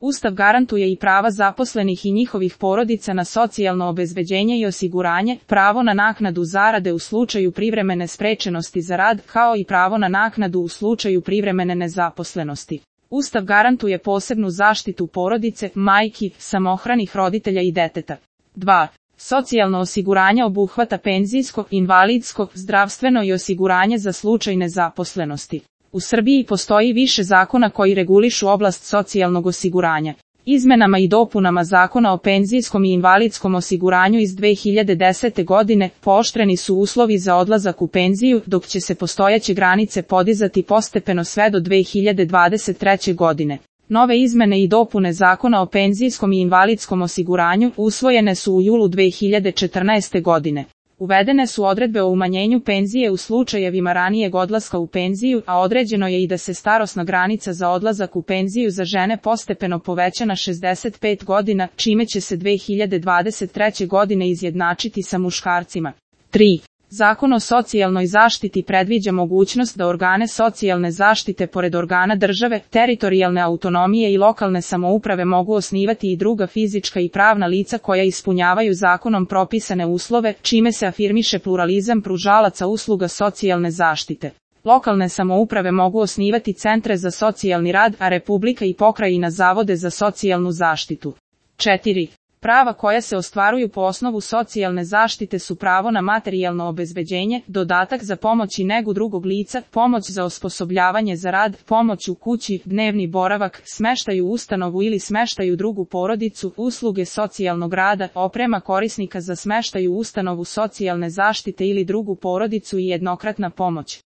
Ustav garantuje i prava zaposlenih i njihovih porodica na socijalno obezbeđenje i osiguranje, pravo na naknadu zarade u slučaju privremene sprečenosti za rad, kao i pravo na naknadu u slučaju privremene nezaposlenosti. Ustav garantuje posebnu zaštitu porodice, majki, samohranih roditelja i deteta. 2. Socijalno osiguranje obuhvata penzijsko, invalidsko, zdravstveno i osiguranje za slučaj nezaposlenosti. U Srbiji postoji više zakona koji regulišu oblast socijalnog osiguranja. Izmenama i dopunama Zakona o penzijskom i invalidskom osiguranju iz 2010. godine pooštreni su uslovi za odlazak u penziju, dok će se postojeće granice podizati postepeno sve do 2023. godine. Nove izmene i dopune Zakona o penzijskom i invalidskom osiguranju usvojene su u julu 2014. godine. Uvedene su odredbe o umanjenju penzije u slučajevima ranijeg odlaska u penziju, a određeno je i da se starosna granica za odlazak u penziju za žene postepeno poveća na 65 godina, čime će se 2023. godine izjednačiti sa muškarcima. 3. Zakon o socijalnoj zaštiti predviđa mogućnost da organe socijalne zaštite pored organa države, teritorijalne autonomije i lokalne samouprave mogu osnivati i druga fizička i pravna lica koja ispunjavaju zakonom propisane uslove, čime se afirmiše pluralizam pružalaca usluga socijalne zaštite. Lokalne samouprave mogu osnivati centre za socijalni rad, a Republika i pokrajina zavode za socijalnu zaštitu. 4. Prava koja se ostvaruju po osnovu socijalne zaštite su pravo na materijalno obezbeđenje, dodatak za pomoć i negu drugog lica, pomoć za osposobljavanje za rad, pomoć u kući, dnevni boravak, smeštaj u ustanovu ili smeštaj u drugu porodicu, usluge socijalnog rada, oprema korisnika za smeštaj u ustanovu socijalne zaštite ili drugu porodicu i jednokratna pomoć.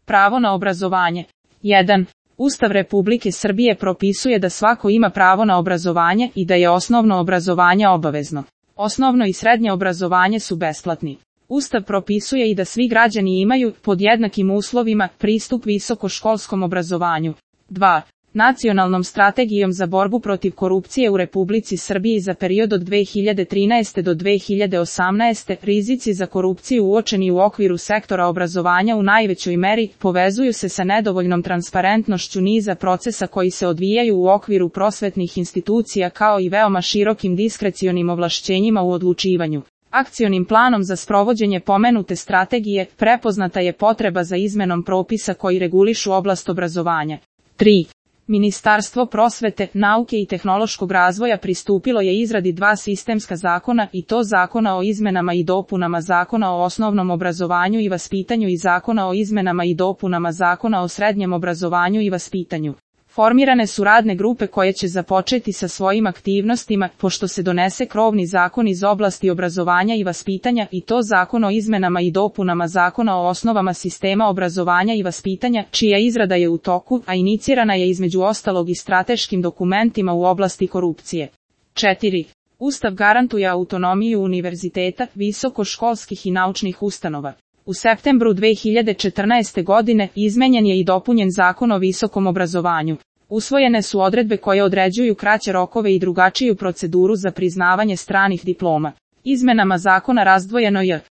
Pravo na obrazovanje. 1. Ustav Republike Srbije propisuje da svako ima pravo na obrazovanje i da je osnovno obrazovanje obavezno. Osnovno i srednje obrazovanje su besplatni. Ustav propisuje i da svi građani imaju, pod jednakim uslovima, pristup visokoškolskom obrazovanju. 2. Nacionalnom strategijom za borbu protiv korupcije u Republici Srbiji za period od 2013. do 2018. rizici za korupciju uočeni u okviru sektora obrazovanja u najvećoj meri povezuju se sa nedovoljnom transparentnošću niza procesa koji se odvijaju u okviru prosvetnih institucija kao i veoma širokim diskrecionim ovlašćenjima u odlučivanju. Akcionim planom za sprovođenje pomenute strategije prepoznata je potreba za izmenom propisa koji regulišu oblast obrazovanja. 3. Ministarstvo prosvete, nauke i tehnološkog razvoja pristupilo je izradi dva sistemska zakona i to Zakona o izmenama i dopunama Zakona o osnovnom obrazovanju i vaspitanju i Zakona o izmenama i dopunama Zakona o srednjem obrazovanju i vaspitanju. Formirane su radne grupe koje će započeti sa svojim aktivnostima, pošto se donese krovni zakon iz oblasti obrazovanja i vaspitanja i to Zakon o izmenama i dopunama Zakona o osnovama sistema obrazovanja i vaspitanja, čija izrada je u toku, a inicirana je između ostalog i strateškim dokumentima u oblasti korupcije. 4. Ustav garantuje autonomiju univerziteta, visokoškolskih i naučnih ustanova. U septembru 2014. godine izmenjen je i dopunjen Zakon o visokom obrazovanju. Usvojene su odredbe koje određuju kraće rokove i drugačiju proceduru za priznavanje stranih diploma. Izmenama zakona razdvojeno je